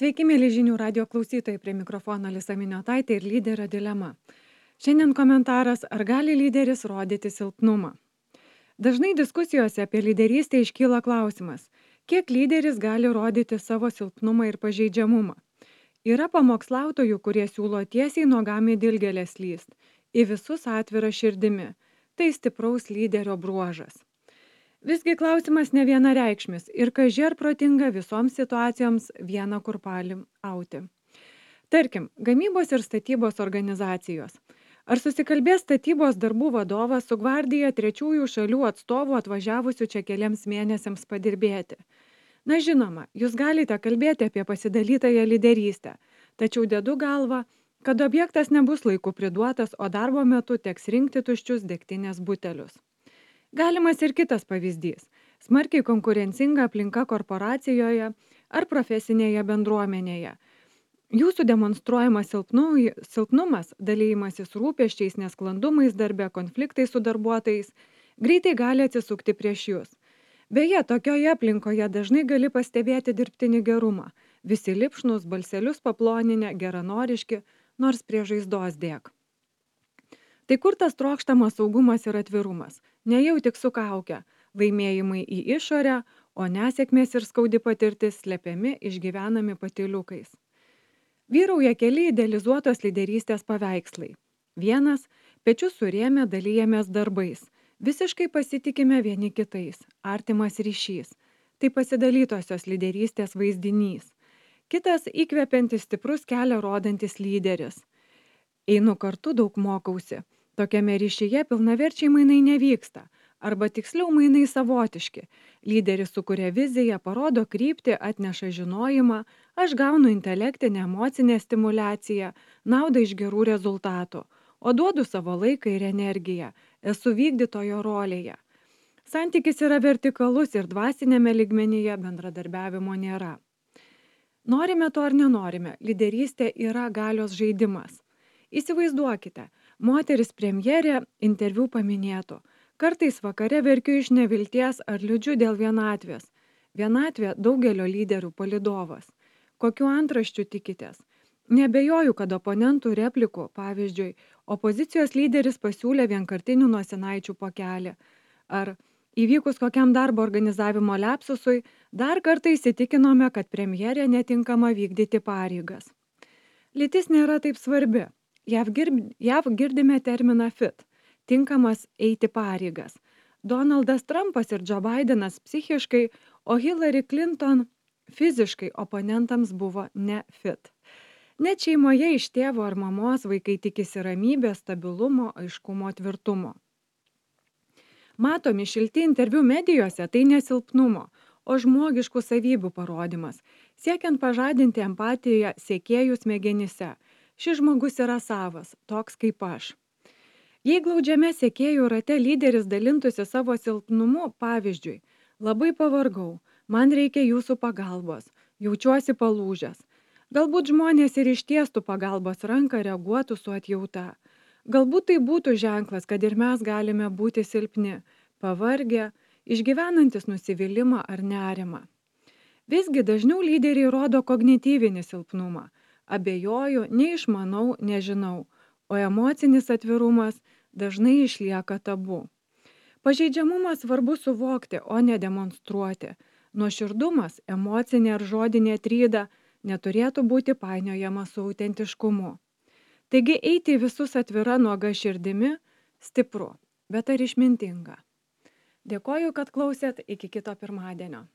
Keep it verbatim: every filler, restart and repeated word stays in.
Sveiki, mėly žinių radio klausytojai, prie mikrofono Lisa Miniotaitė ir lyderio dilema. Šiandien komentaras, ar gali lyderis rodyti silpnumą. Dažnai diskusijose apie lyderystę iškyla klausimas, kiek lyderis gali rodyti savo silpnumą ir pažeidžiamumą. Yra pamokslautojų, kurie siūlo tiesiai nuogami dilgelės lyst, į visus atvira širdimi. Tai stipraus lyderio bruožas. Visgi klausimas ne vienareikšmis ir kaži ar protinga visoms situacijoms vieną kurpalį auti. Tarkim, gamybos ir statybos organizacijos. Ar susikalbės statybos darbų vadovas su gvardija trečiųjų šalių atstovų atvažiavusių čia keliams mėnesiams padirbėti? Na žinoma, jūs galite kalbėti apie pasidalytąją lyderystę, tačiau dedu galvą, kad objektas nebus laiku priduotas, o darbo metu teks rinkti tuščius degtinės butelius. Galimas ir kitas pavyzdys – smarkiai konkurencinga aplinka korporacijoje ar profesinėje bendruomenėje. Jūsų demonstruojamas silpnu- silpnumas, dalymasis rūpesčiais, nesklandumais darbe, konfliktai su darbuotojais greitai gali atsisukti prieš jūs. Beje, tokioje aplinkoje dažnai gali pastebėti dirbtinį gerumą. Visi lipšnus, balselius paploninę, geranoriški, nors prie žaizdos dėk. Tai kur tas trokštamas saugumas ir atvirumas? Ne jau tik su kauke, laimėjimai į išorę, o nesėkmės ir skaudi patirtis slepiami išgyvenami patyliukais. Vyrauja keli idealizuotos lyderystės paveikslai. Vienas – pečius surėmę dalyjamės darbais. Visiškai pasitikime vieni kitais. Artimas ryšys. Tai pasidalytosios lyderystės vaizdinys. Kitas – įkvepiantis stiprus kelią rodantis lyderis. Einu kartu, daug mokausi. Tokiame ryšyje pilnaverčiai mainai nevyksta, arba tiksliau mainai savotiški. Lyderis sukuria viziją, parodo kryptį, atneša žinojimą, aš gaunu intelektinę, emocinę stimulaciją, naudą iš gerų rezultatų, o duodu savo laiką ir energiją, esu vykdytojo rolėje. Santykis yra vertikalus ir dvasinėme lygmenyje bendradarbiavimo nėra. Norime to ar nenorime, lyderystė yra galios žaidimas. Įsivaizduokite, moteris premjerė interviu paminėtų. Kartais vakare verkiu iš nevilties ar liūdžiu dėl vienatvės. Vienatvė daugelio lyderių palydovas. Kokiu antraščiu tikitės? Nebejoju, kad oponentų replikų, pavyzdžiui, opozicijos lyderis pasiūlė vienkartinių nosinaičių pakelį. Ar įvykus kokiam darbo organizavimo lepsusui, dar kartą įsitikinome, kad premjerė netinkama vykdyti pareigas. Lytis nėra taip svarbi. JAV, girb, JAV girdime terminą fit, tinkamas eiti pareigas. Donaldas Trumpas ir Joe Bidenas psichiškai, o Hillary Clinton fiziškai oponentams buvo ne fit. Net šeimoje iš tėvo ar mamos vaikai tikisi ramybės, stabilumo, aiškumo, tvirtumo. Matomi šilti interviu medijose tai nesilpnumo, o žmogiškų savybių parodimas, siekiant pažadinti empatiją sekėjų smegenyse. Šis žmogus yra savas, toks kaip aš. Jei glaudžiame sekėjų rate lyderis dalintųsi savo silpnumu, pavyzdžiui, labai pavargau, man reikia jūsų pagalbos, jaučiuosi palūžęs. Galbūt žmonės ir ištiestų pagalbos ranką, reaguotų su atjauta. Galbūt tai būtų ženklas, kad ir mes galime būti silpni, pavargę, išgyvenantis nusivylimą ar nerimą. Visgi dažniau lyderiai rodo kognityvinį silpnumą. Abejoju, neišmanau, nežinau, o emocinis atvirumas dažnai išlieka tabu. Pažeidžiamumą svarbu suvokti, o ne demonstruoti. Nuoširdumas, emocinė ar žodinė tryda neturėtų būti painiojama su autentiškumu. Taigi eiti visus atvira nuoga širdimi stipru, bet ar išmintinga? Dėkoju, kad klausėt, iki kito pirmadienio.